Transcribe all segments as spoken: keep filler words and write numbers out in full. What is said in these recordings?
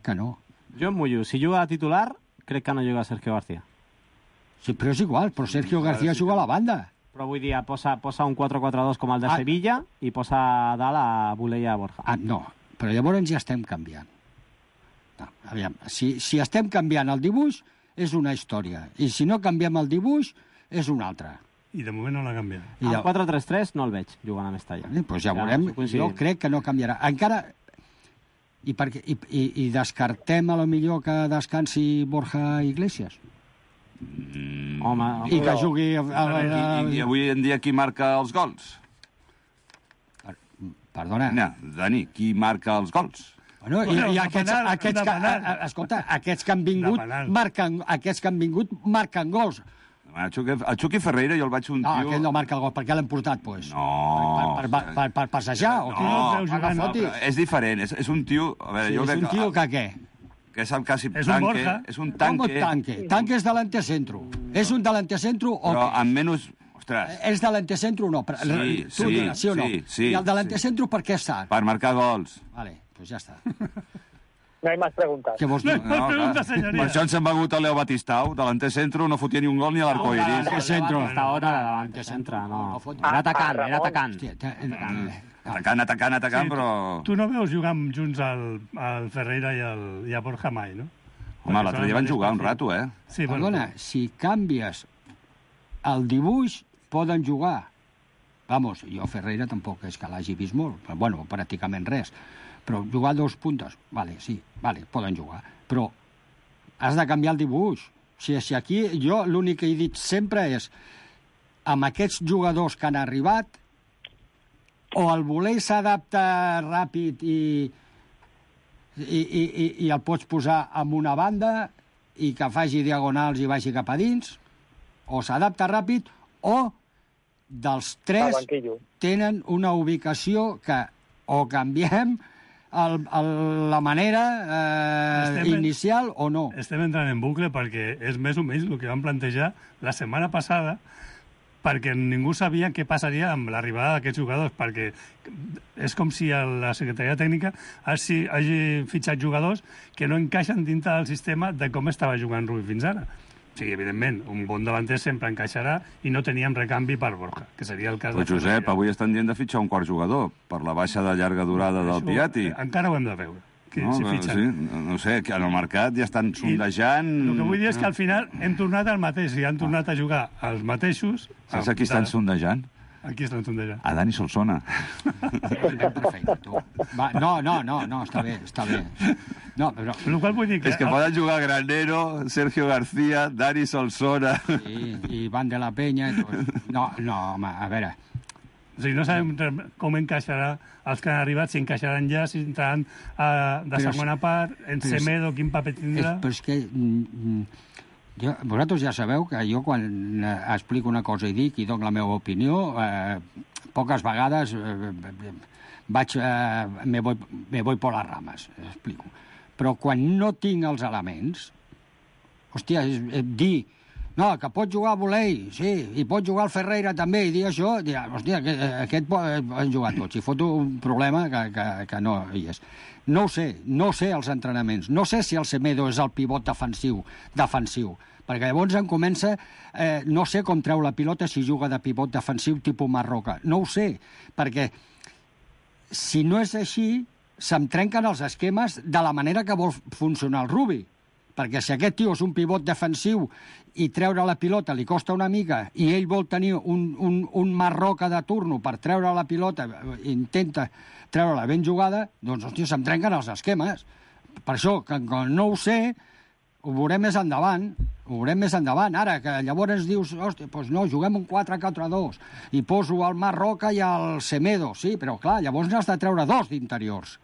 que no. Jo em mullo. Si juga de titular, crec que no juga Sergio García. Sí, però és igual, però Sergio García juga a la banda. Però vull dir, posa, posa un quatre quatre dos com el de Ah. Sevilla i posa a dalt a Bulé i a Borja. Ah, no, però llavors ja estem canviant. No, aviam, si, si estem canviant el dibuix, és una història. I si no canviem el dibuix, és una altra. I de moment no l'ha canviat. I El ja, quatre tres tres no el veig jugant a Mestalla. eh, doncs ja veurem. Jo crec que no canviarà. Encara... I, perquè, i, i, i descartem a lo millor que descansi Borja Iglesias? Mm. Home, I que jugui... A, a, a, I, I avui en dia qui marca els gols? Perdona. No, Dani, qui marca els gols? Bueno, i, Bueno, i de aquests, penal, aquests, de que, penal. a, a, escolta, aquests que han vingut De penal. marquen, aquests que han vingut marquen gols. El Chucky, el Chucky Ferreira jo el vaig un No, tio... aquell no marca el gol, per què l'hem portat, doncs? No. Per, per, per, per, per passejar? O què? no el veus jugant, Agafa, No, però és diferent, és, és un tio... A veure, Sí, jo és crec un tio que què? que sap quasi És un tanque, Borja. és un Com tanque, tanque? Tanque és delante centro. És un delante centro o però què? amb menys... Ostres, És delante centro o no? Per- Sí, tu sí, digues, sí o no? sí, sí, I el delante sí. centro per què està? per marcar gols. Vale, doncs ja està. No hay más preguntas. Què vols dir? No, pregunta, clar. senyoria. Per això ens hem begut a Leo Batistau, delanter centro, no fotia ni un gol ni a l'arcoiris. Delante centro. Hasta ahora davant centre, no. No fot- Era atacant, Ah, era Ramon. atacant. Hòstia, te- eh, Atacant, atacant, atacant, però... Tu no veus jugar junts al, al Ferreira i, el, i a Borja mai, no? Home, l'altre dia van jugar un rato, eh? Sí, bueno, Perdona, si canvies el dibuix, poden jugar. Vamos, jo Ferreira tampoc és que l'hagi vist molt, però, bueno, pràcticament res. Però jugar dos puntes, vale, sí, vale, poden jugar. Però has de canviar el dibuix. Si, si aquí jo l'únic que he dit sempre és amb aquests jugadors que han arribat, o el voler s'adapta ràpid i, i, i, i, i el pots posar en una banda i que faci diagonals i vagi cap a dins, o s'adapta ràpid, o dels Al tres banquillo. tenen una ubicació que o canviem el, el, la manera eh, Estem en- inicial o no. estem entrant en bucle perquè és més o menys el que vam plantejar la setmana passada, perquè ningú sabia què passaria amb l'arribada d'aquests jugadors, perquè és com si la Secretaria Tècnica hagi, hagi fitxat jugadors que no encaixen dintre del sistema de com estava jugant Rubí fins ara. O sigui, evidentment, un bon davanter sempre encaixarà i no teníem recanvi per Borja, que seria el cas Però, de Josep, Ferreira. avui estan dient de fitxar un quart jugador per la baixa de llarga durada del Això, Piatti. Encara ho hem de veure, que No, si però, fitxen. sí, no, no sé, que en el mercat ja estan sondejant... El que vull dir és que al final hem tornat al mateix, i han tornat a jugar els mateixos... Saps a qui estan sondejant? Aquí estan sondejant. A Dani Solsona. Perfecte, tu. Va, no, no, no, no, està bé, està bé. No, però... Per la qual vull dir que... És que poden jugar Granero, Sergio García, Dani Solsona... Sí, i Van de la Peña... I tot. No, no, home, a veure... O sigui, no sabem re- com encaixarà els que han arribat, si encaixaran ja, si entraran uh, de Però segona és- part, en però és- Semedo, quin paper És, tindrà... però és que... mm, mm, jo, vosaltres ja sabeu que jo quan eh, explico una cosa i dic i dono la meva opinió, eh, poques vegades eh, vaig... Eh, me, voy, me voy por las ramas, explico. Però quan no tinc els elements, hòstia, és, és dir... No, que pot jugar a Volei, sí, i pot jugar al Ferreira també, i dir això, dir, hòstia, aquest, aquest poden jugar tots, i foto un problema que, que, que no hi és. No ho sé, no sé els entrenaments, no sé si el Semedo és el pivot defensiu, defensiu, perquè llavors em comença, eh, no sé com treu la pilota si juga de pivot defensiu tipus Marroca, no ho sé, perquè si no és així, se'm trenquen els esquemes de la manera que vol funcionar el Rubi. Perquè si aquest tio és un pivot defensiu i treure la pilota li costa una mica i ell vol tenir un, un, un Marroca de turno per treure la pilota, intenta treure-la ben jugada, doncs, hòstia, se'm trenquen els esquemes. Per això, que quan no ho sé, ho veurem més endavant, ho veurem més endavant. Ara, que llavors dius, hòstia, doncs no, juguem un quatre quatre dos i poso el Marroca i el Semedo, sí, però clar, llavors n'has de treure dos d'interiors.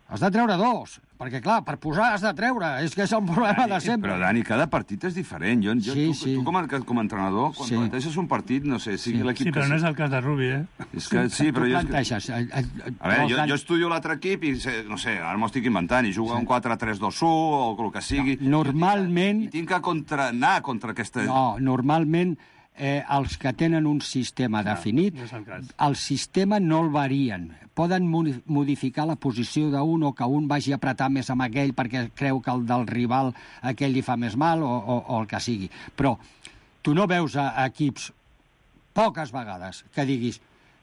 Has de treure dos, perquè, clar, per posar has de treure, és que és el problema de sempre. Però, Dani, cada partit és diferent. Jo, jo, Sí, tu, sí. tu com, a, com a entrenador, quan Sí. planteges un partit, no sé, sigui Sí. l'equip Sí, però que no és sigui. el cas de Rubi, eh? És que, sí, però tu jo... És que... planteges... eh, eh, A veure, vols jo, gan- jo estudio l'altre equip i, sé, no sé, ara m'ho estic inventant, i juga sí. un quatre tres dos u o el que sigui. No, normalment- I tinc que contra, anar contra aquesta... No, normalment eh, els que tenen un sistema Clar, definit, no és el cas. el sistema no el varien. Poden modi- modificar la posició d'un o que un vagi a apretar més amb aquell perquè creu que el del rival aquell li fa més mal o, o, o el que sigui. Però tu no veus a, a equips poques vegades que diguis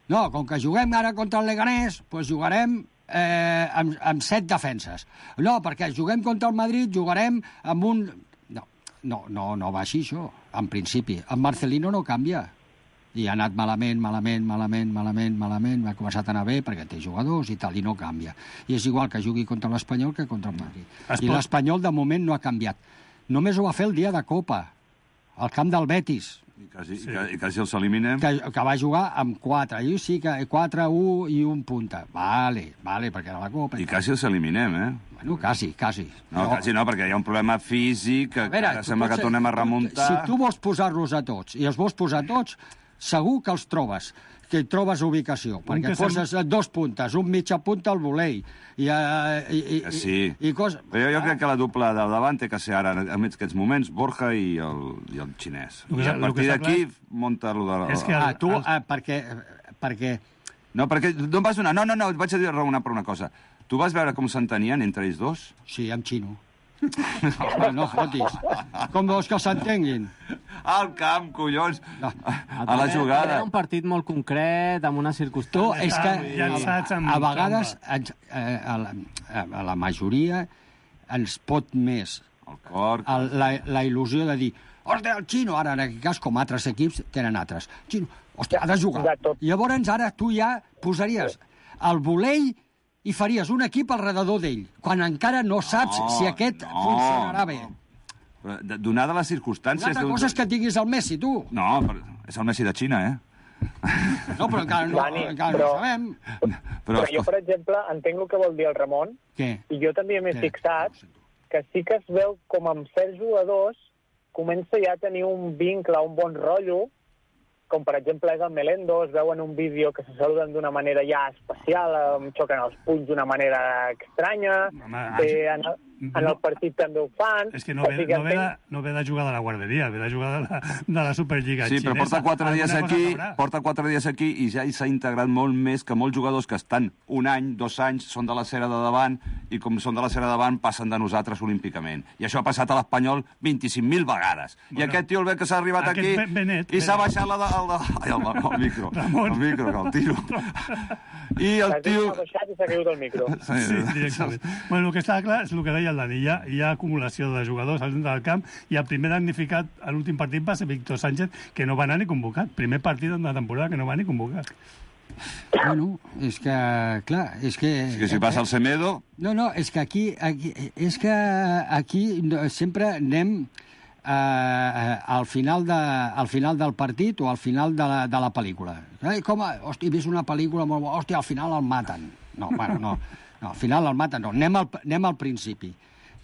no, com que juguem ara contra el Leganés, doncs jugarem eh, amb, amb set defenses. No, perquè juguem contra el Madrid, jugarem amb un... No, no, no, no va així, això, en principi. En Marcelino no canvia. I ha anat malament, malament, malament, malament, malament, ha començat a anar bé perquè té jugadors i tal, i no canvia. I és igual que jugui contra l'Espanyol que contra el Madrid. Es I pot- l'Espanyol, de moment, no ha canviat. Només ho va fer el dia de Copa, al camp del Betis, I quasi, Sí. sí. i, i quasi els eliminem. que, que va jugar amb quatre. I sí que quatre, un i un punta. Vale, vale, perquè era la Copa. I tal. quasi els eliminem, eh? Bueno, quasi, quasi. No, quasi no, perquè hi ha un problema físic que, A veure, que ara tu sembla que pots- tornem a tu- remuntar. Si tu vols posar-los a tots, i els vols posar a tots, segur que els trobes, que hi trobes ubicació, perquè que sem- poses dos puntes, un mitja punta al volei, i, uh, i, i, Que sí. i, i cosa... Però jo, jo crec que la dupla de davant té que ser ara, en aquests moments, Borja i el, i el xinès. El que- I a el que partir està d'aquí, clar- munta lo de... És que Ah, tu, el- ah, perquè, perquè... No, perquè no em vas donar... No, no, no, et vaig a dir raonar per una cosa. Tu vas veure com s'entenien entre ells dos? Sí, amb xino. No, no fotis. Com vols que s'entenguin? Al camp, collons! No. A la jugada. Era un partit molt concret, amb una Tu, circumstància... és que llançats a, amb a vegades trampa. ens, eh, a, la, a la majoria ens pot més El cor... el, la, la il·lusió de dir hòstia, el xino, ara en aquest cas, com altres equips tenen altres. Xino, hòstia, ha de jugar. De tot. Llavors ara tu ja posaries el volei i faries un equip al redador d'ell, quan encara no saps No, si aquest no, funcionarà no. bé. Però, de- Donada les Una circumstàncies... altra tu- cosa és que tinguis el Messi, tu. No, però és el Messi de Xina, eh? No, però encara no, Dani, encara però- no sabem. Però, Però jo, per exemple, entenc el que vol dir el Ramon, Què? i jo també m'he Què? fixat que sí que es veu com amb certs jugadors comença ja a tenir un vincle, un bon rotllo, com per exemple és el Melendo, es veu en un vídeo que se saluden d'una manera ja especial, em xoquen els punys d'una manera estranya, Home, eh, en, el, en el partit també ho fan. És que no ve, o sigui no, ve de, entenc- no ve de jugar de la guarderia, ve de jugar de la, de la Superliga sí, però xinesa. porta quatre dies Alguna cosa aquí, sabrà. porta quatre dies aquí i ja hi s'ha integrat molt més que molts jugadors que estan un any, dos anys, són de la cera de davant i com són de la cera de davant passen de nosaltres olímpicament. I això ha passat a l'Espanyol vint-i-cinc mil vegades. I Bueno, aquest tio el ve que s'ha arribat aquest aquí Ben- Benet, i s'ha Benet. baixat la de... El, de, ai, el, el micro, Ramon. el micro, que el tiro. I el L'Arteta tio... s'ha baixat i s'ha caigut el micro. Sí, directament. Bueno, el que està clar és el que deia el Dani. Hi ha, hi ha acumulació de jugadors al centre del camp i el primer damnificat a l'últim partit va ser Víctor Sánchez, que no va anar ni convocat. Primer partit de la temporada que no va ni convocat. Bueno, és que, clar, és que... És que si passa el Semedo... No, no, és que aquí, aquí és que aquí no, sempre anem eh, eh, al, final de, al final del partit o al final de la, de la pel·lícula. Eh, com, a, hòstia, he vist una pel·lícula molt bona, hòstia, al final el maten. No, bueno, no, no al final el maten, no. Anem al, anem al principi.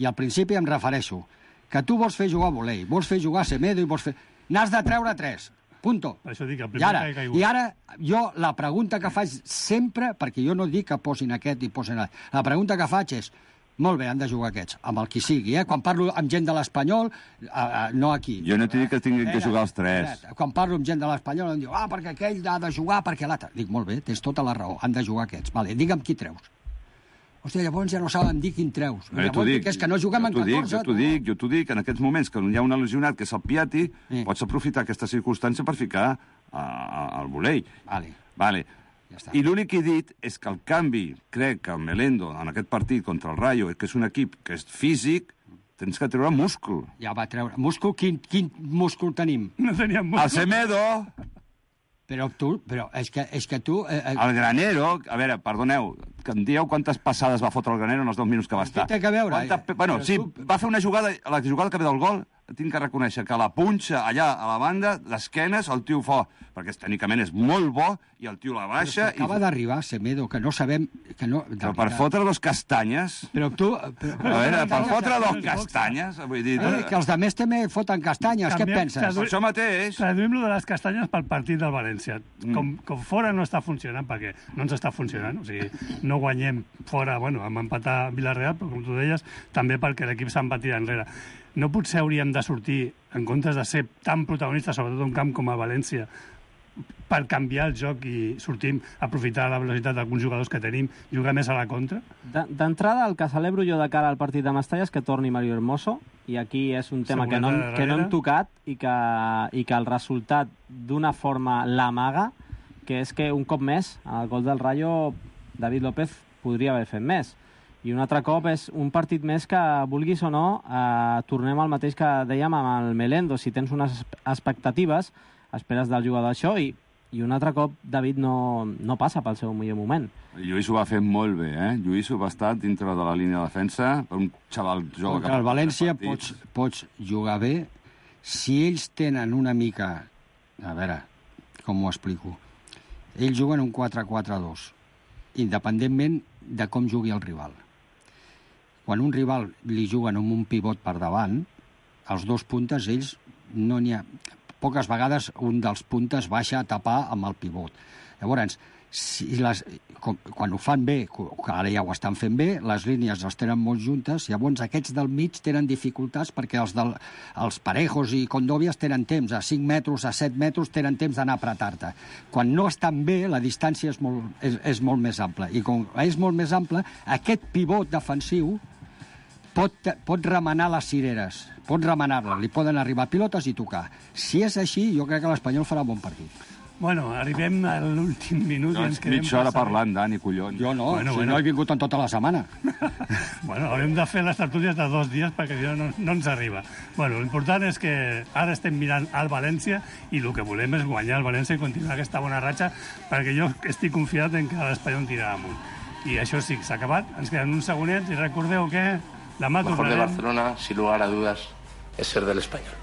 I al principi em refereixo que tu vols fer jugar a volei, vols fer jugar a Semedo i vols fer... N'has de treure tres. Punto. Per això dic, el I primer ara, que ha caigut. I ara, jo la pregunta que faig sempre, perquè jo no dic que posin aquest i posin aquest, la pregunta que faig és, molt bé, han de jugar aquests, amb el qui sigui, eh? Quan parlo amb gent de l'Espanyol, eh, eh, no aquí. Jo no t'he dit que tinguin que jugar els tres. Espera't, quan parlo amb gent de l'Espanyol em diu, ah, perquè aquell ha de jugar, perquè l'altre. Dic, molt bé, tens tota la raó, han de jugar aquests. Vale, digue'm qui treus. Hòstia, llavors ja no saben dir quin treus. No, jo t'ho Llavors dic, dic, és que no juguem en jo t'ho dic, catorze. jo t'ho dic, jo t'ho dic, en aquests moments que hi ha un lesionat que és el Piatti, Sí. pots aprofitar aquesta circumstància per ficar al volei. Vale. Vale. Ja està. I l'únic que he dit és que el canvi, crec que el Melendo, en aquest partit contra el Rayo, que és un equip que és físic, tens que treure múscul. Ja va treure. Múscul, quin, quin múscul tenim? No teníem molt... El Semedo, Però tu, però és que, és que tu... Eh, eh, el Granero... A veure, perdoneu, que em dieu quantes passades va fotre el Granero en els dos minuts que va estar. té que veure? Quanta... Bueno, Però sí, tu- va fer una jugada, la jugada que ve del gol, tinc que reconèixer que la punxa allà a la banda, d'esquenes, el tio fa... Perquè tècnicament és molt bo, i el tio la baixa... Acaba i... d'arribar Semedo, que no sabem... Que no, de Però per veritat. fotre dos castanyes... Però tu... Però, A veure, per fotre dos boxa. castanyes... Vull dir... eh, que els de més també foten castanyes, què et Canviem- penses? tradu- Per això mateix... Traduïm lo de les castanyes pel partit del València. Mm. Com, com fora no està funcionant, perquè no ens està funcionant. O sigui, no guanyem fora, bueno, vam empatar a Villarreal, però com tu deies, també perquè l'equip se'n va tirar enrere. no potser hauríem de sortir, en comptes de ser tan protagonistes, sobretot un camp com a València, per canviar el joc i sortim a aprofitar la velocitat d'alguns jugadors que tenim, jugar més a la contra? D'entrada, el que celebro jo de cara al partit de Mestalla és que torni Mario Hermoso, i aquí és un tema que no, que no hem tocat i que, i que el resultat d'una forma l'amaga, que és que un cop més, al gol del Rayo, David López podria haver fet més. I un altre cop és un partit més que, vulguis o no, eh, tornem al mateix que dèiem amb el Melendo. Si tens unes expectatives, esperes del jugador això, i, i un altre cop David no, no passa pel seu millor moment. Lluís ho va fer molt bé, eh? Lluís ho va estar dintre de la línia de defensa, per un xaval jove... Contra el València pots, pots jugar bé si ells tenen una mica... A veure, com ho explico? Ells juguen un quatre quatre dos, independentment de com jugui el rival. Quan un rival li juguen amb un pivot per davant, els dos puntes, ells no n'hi ha... Poques vegades un dels puntes baixa a tapar amb el pivot. Llavors, si les, com, quan ho fan bé, que ara ja ho estan fent bé, les línies les tenen molt juntes, llavors aquests del mig tenen dificultats perquè els, del, els Parejos i Condovias tenen temps, a cinc metres, a set metres, tenen temps d'anar a apretar-te. Quan no estan bé, la distància és molt, és, és molt més ampla. I com és molt més ampla, aquest pivot defensiu pot, pot remenar les cireres, pot remenar-les, li poden arribar pilotes i tocar. Si és així, jo crec que l'Espanyol farà bon partit. Bueno, arribem a l'últim minut i ens quedem... Mitja hora parlant, Dani, collons. Jo no, bueno, si bueno. no he vingut en tota la setmana. Bueno, haurem de fer les tertúlies de dos dies perquè si no, no, no ens arriba. Bueno, l'important és que ara estem mirant al València i el que volem és guanyar el València i continuar aquesta bona ratxa perquè jo estic confiat en que l'Espanyol tirarà amunt. I això sí, s'ha acabat. Ens queden uns segonets i recordeu que demà tornarem... Lo mejor de Barcelona, sin lugar a dudas, es ser del Español.